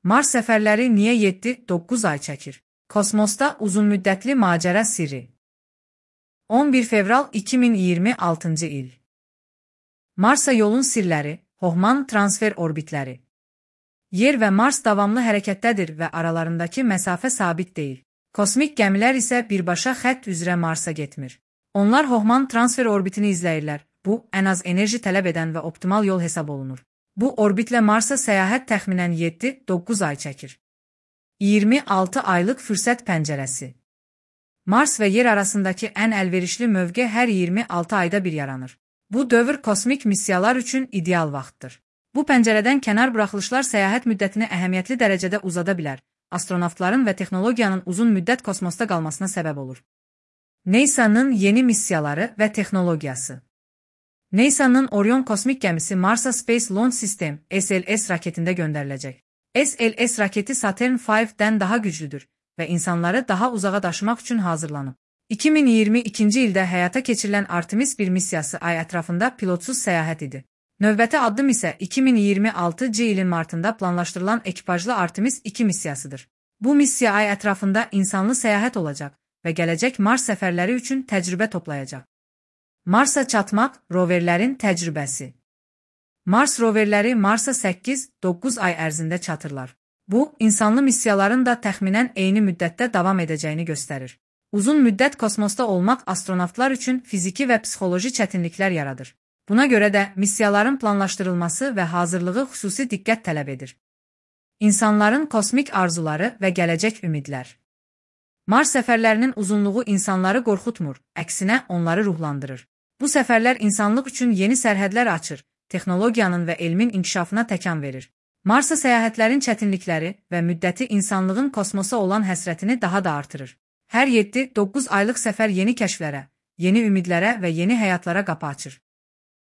Mars səfərləri niyə 7-9 ay çəkir? Kosmosda uzunmüddətli macəra sirri. 11 fevral 2026-cı il. Marsa yolun sirləri, Hohmann transfer orbitləri. Yer və Mars davamlı hərəkətdədir və aralarındakı məsafə sabit deyil. Kosmik gəmilər isə birbaşa xətt üzrə Marsa getmir. Onlar Hohmann transfer orbitini izləyirlər. Bu, ən az enerji tələb edən və optimal yol hesab olunur. Bu orbitlə Marsa səyahət təxminən 7-9 ay çəkir. 26 aylıq fürsət pəncərəsi. Mars və Yer arasındakı ən əlverişli mövqe hər 26 ayda bir yaranır. Bu dövr kosmik missiyalar üçün ideal vaxtdır. Bu pəncərədən kənar buraxılışlar səyahət müddətini əhəmiyyətli dərəcədə uzada bilər, astronavtların və texnologiyanın uzun müddət kosmosda qalmasına səbəb olur. NASA'nın yeni missiyaları və texnologiyası. NASA'nın Orion kosmik gəmisi Marsa Space Launch System (SLS) raketində göndəriləcək. SLS raketi Saturn V-dən daha güclüdür və insanları daha uzağa daşımaq üçün hazırlanıb. 2022-ci ildə həyata keçirilən Artemis 1 missiyası ay ətrafında pilotsuz səyahət idi. Növbəti addım isə 2026-cı ilin martında planlaşdırılan ekipajlı Artemis 2 missiyasıdır. Bu missiya ay ətrafında insanlı səyahət olacaq və gələcək Mars səfərləri üçün təcrübə toplayacaq. Marsa çatmaq roverlərin təcrübəsi. Mars roverləri Marsa 8-9 ay ərzində çatırlar. Bu, insanlı missiyaların da təxminən eyni müddətdə davam edəcəyini göstərir. Uzun müddət kosmosda olmaq astronavtlar üçün fiziki və psixoloji çətinliklər yaradır. Buna görə də missiyaların planlaşdırılması və hazırlığı xüsusi diqqət tələb edir. İnsanların kosmik arzuları və gələcək ümidlər. Mars səfərlərinin uzunluğu insanları qorxutmur, əksinə onları ruhlandırır. Bu səfərlər insanlıq üçün yeni sərhədlər açır, texnologiyanın və elmin inkişafına təkan verir. Marsa səyahətlərin çətinlikləri və müddəti insanlığın kosmosa olan həsrətini daha da artırır. Hər 7-9 aylıq səfər yeni kəşflərə, yeni ümidlərə və yeni həyatlara qapı açır.